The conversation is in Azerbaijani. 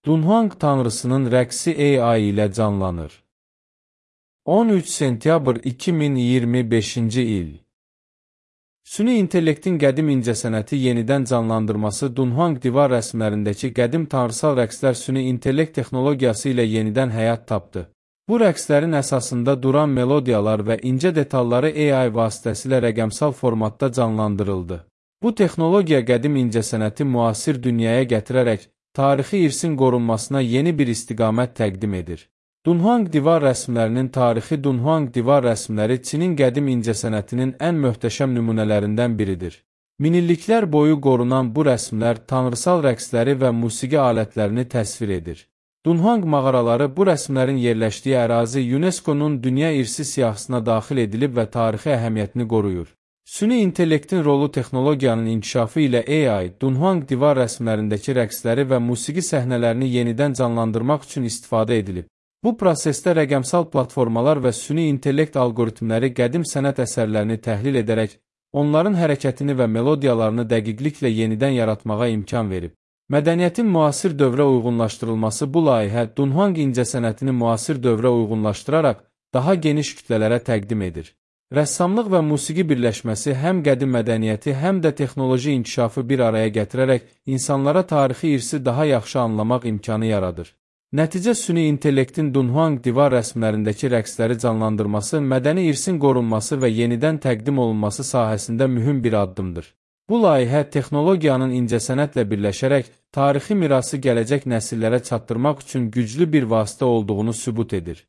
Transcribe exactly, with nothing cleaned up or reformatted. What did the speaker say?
Dunhuang tanrısının rəqsi A I ilə canlanır. on üç sentyabr iki min iyirmi beşinci il. Süni intellektin qədim incəsənəti yenidən canlandırması Dunhuang divar rəsmlərindəki qədim tanrısal rəqslər süni intellekt texnologiyası ilə yenidən həyat tapdı. Bu rəqslərin əsasında duran melodiyalar və incə detalları A I vasitəsilə rəqəmsal formatda canlandırıldı. Bu texnologiya qədim incəsənəti müasir dünyaya gətirərək tarixi irsin qorunmasına yeni bir istiqamət təqdim edir. Dunhuang divar rəsmlərinin tarixi Dunhuang divar rəsmləri Çinin qədim incəsənətinin ən möhtəşəm nümunələrindən biridir. Minilliklər boyu qorunan bu rəsmlər tanrısal rəqsləri və musiqi alətlərini təsvir edir. Dunhuang mağaraları bu rəsmlərin yerləşdiyi ərazi UNESCO-nun Dünya İrsi siyahısına daxil edilib və tarixi əhəmiyyətini qoruyur. Süni intellektin rolu texnologiyanın inkişafı ilə A I, Dunhuang divar rəsmlərindəki rəqsləri və musiqi səhnələrini yenidən canlandırmaq üçün istifadə edilib. Bu prosesdə rəqəmsal platformalar və süni intellekt algoritmləri qədim sənət əsərlərini təhlil edərək, onların hərəkətini və melodiyalarını dəqiqliklə yenidən yaratmağa imkan verib. Mədəniyyətin müasir dövrə uyğunlaşdırılması bu layihə Dunhuang incəsənətini müasir dövrə uyğunlaşdıraraq daha geniş kütlələrə təqdim edir. Rəssamlıq və musiqi birləşməsi həm qədim mədəniyyəti, həm də texnoloji inkişafı bir araya gətirərək insanlara tarixi irsi daha yaxşı anlamaq imkanı yaradır. Nəticə süni intellektin Dunhuang divar rəsmlərindəki rəqsləri canlandırması, mədəni irsin qorunması və yenidən təqdim olunması sahəsində mühüm bir addımdır. Bu layihə texnologiyanın incəsənətlə birləşərək tarixi mirası gələcək nəsillərə çatdırmaq üçün güclü bir vasitə olduğunu sübut edir.